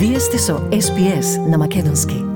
Вие сте со СПС на македонски.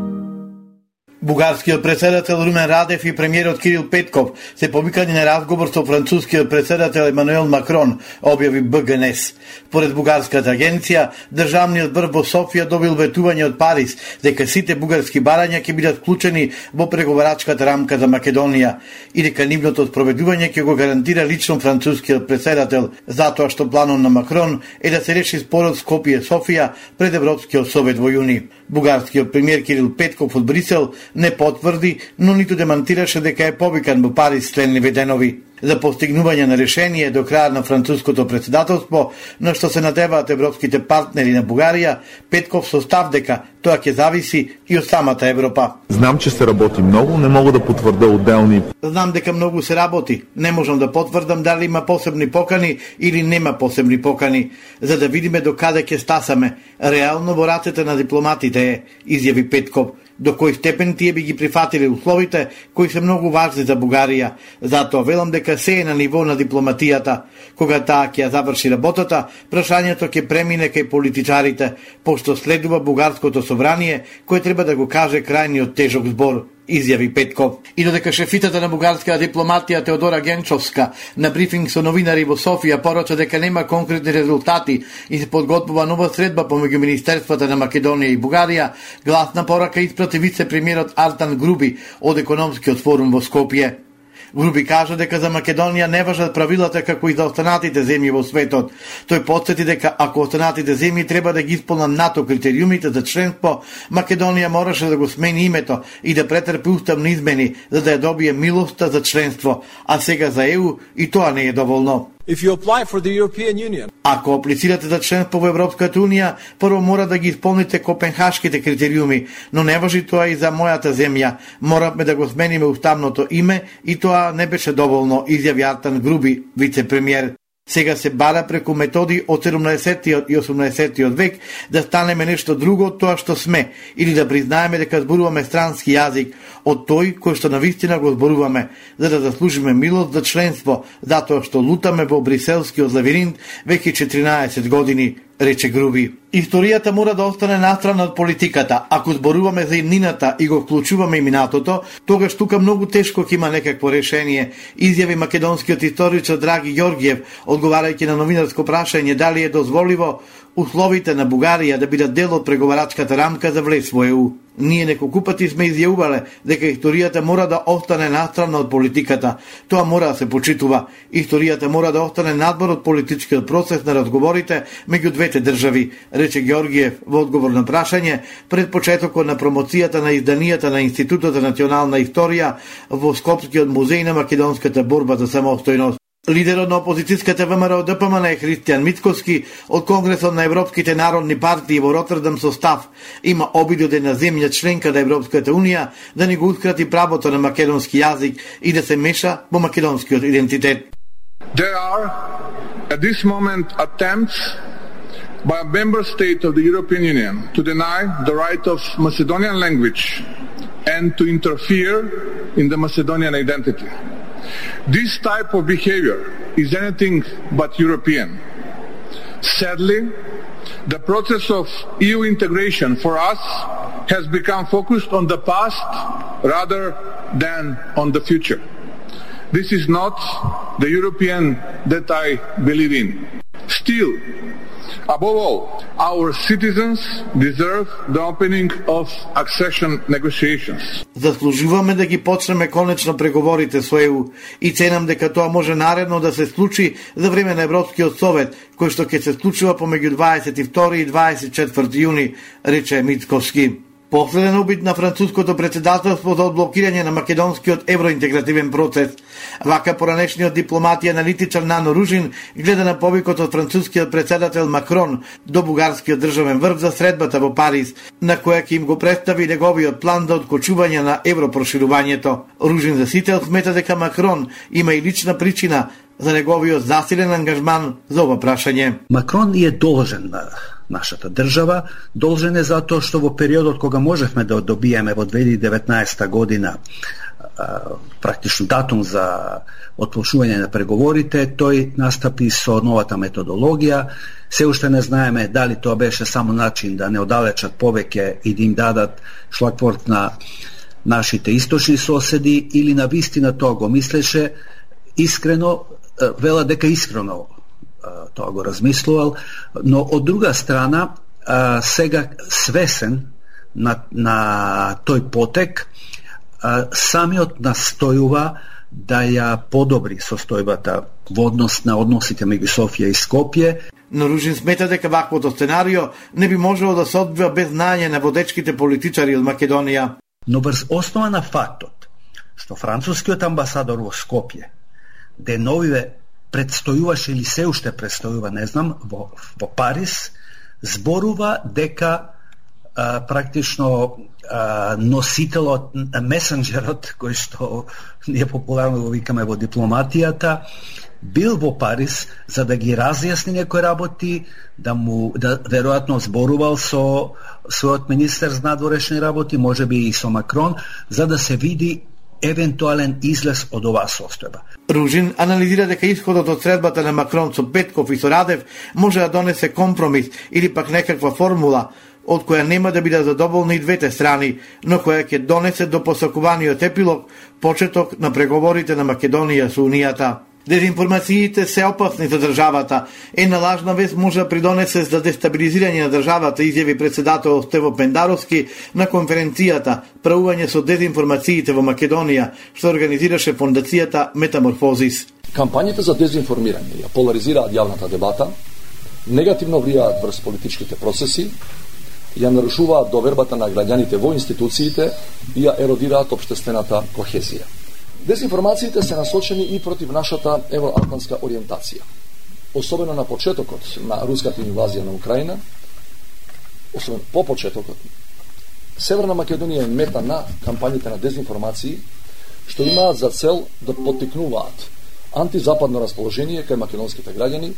Бугарскиот председател Румен Радев и премиерот Кирил Петков се повикани на разговор со францускиот председател Емануел Макрон, објави БГНС. Според бугарската агенција, државниот врв во Софија добил ветување од Париз дека сите бугарски барања ќе бидат вклучени во преговарачката рамка за Македонија и дека нивното спроведување ќе го гарантира лично францускиот председател, затоа што планот на Макрон е да се реши спорот Скопје-Софија пред Европскиот совет во јуни. Бугарскиот премиер Кирил Петков од Брисел не потврди, но ниту демантираше дека е повикан во Париз следниве денови за постигнување на решение до крај на француското председателство, на што се надеваат европските партнери на Бугарија. Петков состав дека тоа ќе зависи и од самата Европа. Знам, че се работи многу, не мога да потврда отделни. Знам дека многу се работи. Не можам да потврдам дали има посебни покани или нема посебни покани, за да видиме до каде ќе стасаме. Реално во рацете на дипломатите е, изјави Петков. До кој степен тие би ги прифатили условите кои се многу важни за Бугарија. Затоа велам дека се е на ниво на дипломатијата. Кога таа ќе заврши работата, прашањето ќе премине кај политичарите, пошто следува бугарското собрание кој треба да го каже крајниот тежок збор, изјави Петков. И додека шефитата на бугарската дипломатија Теодора Генчовска на брифинг со новинари во Софија порача дека нема конкретни резултати и се подготвува нова средба помеѓу министерствата на Македонија и Бугарија, гласна порака испрати вице-премиерот Артан Груби од економскиот форум во Скопје. Груби кажа дека за Македонија не важат правилата како и за останатите земји во светот. Тој потсети дека ако останатите земји треба да ги исполнат НАТО критериумите за членство, Македонија мораше да го смени името и да претрпи уставни измени за да ја добие милоста за членство, а сега за ЕУ и тоа не е доволно. If you apply for the European Union, ако аплицирате за членство во Европската Унија, прво мора да ги исполните копенхашките критериуми, но не важи тоа и за мојата земја. Моравме да го смениме уставното име и тоа не беше доволно, изјави Артан Груби, вице-премиер. Сега се бара преку методи од 17 и 18 век да станеме нешто друго од тоа што сме, или да признаеме дека зборуваме странски јазик од тој кој што навистина го зборуваме, за да заслужиме милост за членство, затоа што лутаме во бриселскиот лавиринт веќе 14 години, рече Груби. Историјата мора да остане настрана од политиката. Ако зборуваме за иднината и го вклучуваме и минатото, тогаш тука многу тешко ќе има некакво решение, изјави македонскиот историчар Драги Ѓорѓиев, одговарајќи на новинарско прашање дали е дозволиво условите на Бугарија да бидат дел од преговарачката рамка за влез во ЕУ. Ние неколку пати сме изјавувале дека историјата мора да остане настрана од политиката. Тоа мора да се почитува. Историјата мора да остане надвор од политичкиот процес на разговорите меѓу двете држави, рече Ѓорѓиев во одговор на прашање пред почетокот на промоцијата на изданијата на Институтот за национална историја во Скопскиот музеј на македонската борба за самостојност. Лидерот на опозицијската ВМРО ДПМН Христијан Мицкоски од Конгресот на Европските народни партии во Ротердам состав има обиди од една земја членка на Европската Унија да ни го ускрати правото на македонски јазик и да се меша во македонскиот идентитет. There are at this moment attempts by a member state of the European Union to deny the right of Macedonian language and to interfere in the Macedonian identity. This type of behavior is anything but European. Sadly, the process of EU integration for us has become focused on the past rather than on the future. This is not the European that I believe in. Still, above all, our citizens deserve the opening of accession negotiations. Заслужуваме да ги почнеме конечно преговорите со ЕУ и ценам дека тоа може наредно да се случи за време на Европскиот совет, кој што ќе се случува помеѓу 22 и 24 јуни, рече Мицковски. Последен обид на француското председателство за одблокирање на македонскиот евроинтегративен процес. Вака поранешниот дипломат и аналитичар Нано Ружин гледа на повикот од францускиот председател Макрон до бугарскиот државен врв за средбата во Париз, на која ќе им го представи неговиот план за откочување на европроширувањето. Ружин за сител смета дека Макрон има и лична причина за неговиот засилен ангажман за ова прашање. Макрон е должен нашата држава. Должен е затоа што во периодот кога можевме да добиеме во 2019 година практично датум за отпочнување на преговорите, тој настапи со новата методологија. Се уште не знаеме дали тоа беше само начин да не оддалечат повеќе и да им дадат шлагворт на нашите источни соседи, или на вистина тоа го мислеше искрено, вела дека искрено тоа го размислувал, но од друга страна сега свесен на тој потек, самиот настојува да ја подобри состојбата во однос на односите меѓу Софија и Скопје. Но Ружин смета дека ваквото сценарио не би можело да се одвива без знаење на водечките политичари од Македонија. Но врз основа на фактот што францускиот амбасадор во Скопје деновиве предстојуваше или се уште предстојува, не знам, во Париз, зборува дека практично носителот, месенџерот, кој што ние популарно го викаме во дипломатијата, бил во Париз за да ги разјасни некои работи, да веројатно зборувал со својот министер за надворешни работи, можеби и со Макрон, за да се види евентуален излез од оваа состојба. Ружин анализира дека исходот од средбата на Макрон со Петков и со Радев може да донесе компромис или пак некаква формула од која нема да бидат задоволни и двете страни, но која ќе донесе до посакуваниот епилог, почеток на преговорите на Македонија со Унијата. Дезинформациите се опасни за државата. Една лажна вест може да придонесе за дестабилизирање на државата, изјави председател Стево Пендаровски на конференцијата "Правување со дезинформациите во Македонија", што организираше фондацијата Метаморфозис. Кампањите за дезинформирање ја поларизираат јавната дебата, негативно влијаат врз политичките процеси, ја нарушуваат довербата на граѓаните во институциите и ја еродираат општествената кохезија. Дезинформациите се насочени и против нашата евроатлантска ориентација. Особено на почетокот на руската инвазија на Украина, особено по почетокот, Северна Македонија е мета на кампањите на дезинформации, што имаат за цел да поттикнуваат антизападно расположение кај македонските граѓани.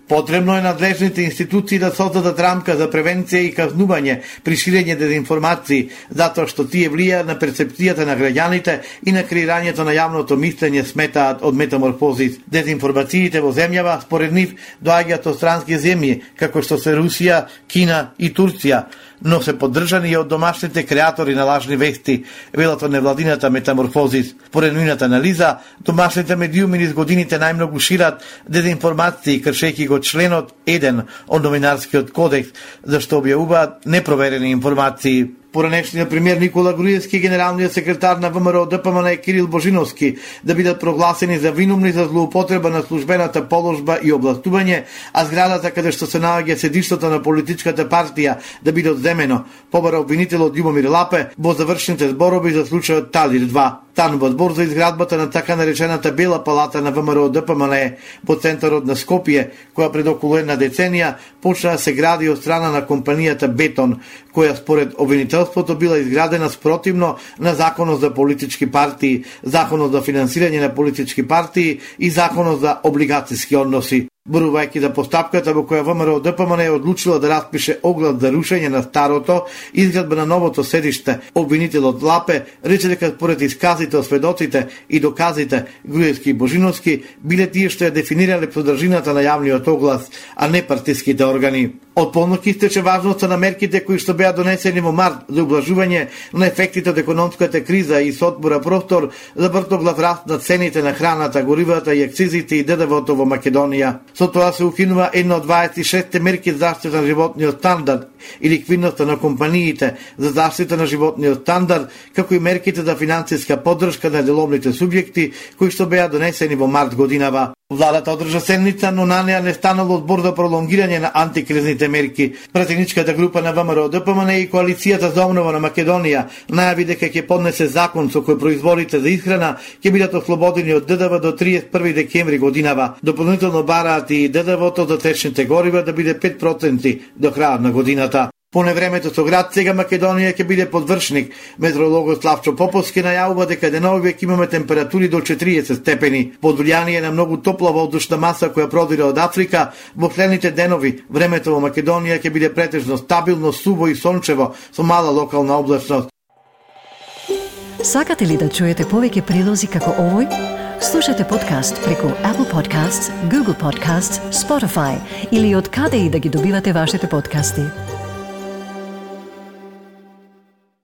Потребно е надлежните институции да создадат рамка за превенција и казнување при ширење дезинформации, затоа што тие влијаат на перцепцијата на граѓаните и на креирањето на јавното мислење, сметаат од Метаморфозис. Дезинформациите во земјава, според нив, доаѓаат од странски земји, како што се Русија, Кина и Турција, но се поддржани и од домашните креатори на лажни вести, велат од невладината Метаморфозис. Според нивната анализа, домашните медиуми низ годините најмногу шират дезинформации, кршејќи го членот 1 од новинарскиот кодекс, зашто објавуваат непроверени информации. Поранешниот премиер Никола Груевски и генералниот секретар на ВМРО ДПМН Кирил Божиновски да бидат прогласени за винумни за злоупотреба на службената положба и областување, а зградата каде што се наоѓа седиштото на политичката партија да биде одземено, побара обвинителот Љубомир Лапе во завршните зборови за случајот Талир 2. Станува збор за изградбата на така наречената Бела палата на ВМРО ДПМН во центарот на Скопје, која пред околу една деценија почна да се гради од страна на компанијата Бетон, која според обвинителството била изградена спротивно на Законот за политички партии, Законот за финансирање на политички партии и Законот за облигацијски односи. Борувајќи за постапката во која ВМРО ДПМН е одлучила да распише оглас за рушење на старото и изградба на новото седиште, обвинителот Лапе рече дека според исказите од сведоците и доказите Груевски и Божиновски биле тие што ја дефинирале содржината на јавниот оглас, а не партиските органи. Од полнок истече важноста на мерките кои што беа донесени во март за убlažување на ефектите од економската криза и со отвора простор за вртоглав раст на цените на храната, горивата и акцизите и ДДВ-то во Македонија. Со тоа се укинува една од 26 мерки за заштита на животниот стандард и ликвидноста на компаниите за заштита на животниот стандард, како и мерките за финансиска поддршка на деловните субјекти кои што беа донесени во март годинава. Владата одржа седница, но на неа не станало збор за пролонгирање на антикризните мерки. Пратеничката група на ВМРО ДПМН и Коалицијата за обнова на Македонија најави дека ќе поднесе закон со кој производите за исхрана ќе бидат ослободени од ДДВ до 31 декември годинава. Дополнително бараат и ДДВ-то за течните горива да биде 5% до крајот на годината. По невремето со град, сега Македонија ќе биде подвршник. Метеорологот Славчо Поповски најавува дека деновиве ќе имаме температури до 40 степени. Под влијание на многу топла воздушна маса која продира од Африка, во следните денови времето во Македонија ќе биде претежно стабилно, суво и сончево, со мала локална облачност. Сакате ли да чуете повеќе прилози како овој? Слушате подкаст преку Apple Podcasts, Google Podcasts, Spotify или од каде и да ги добивате вашите подкасти.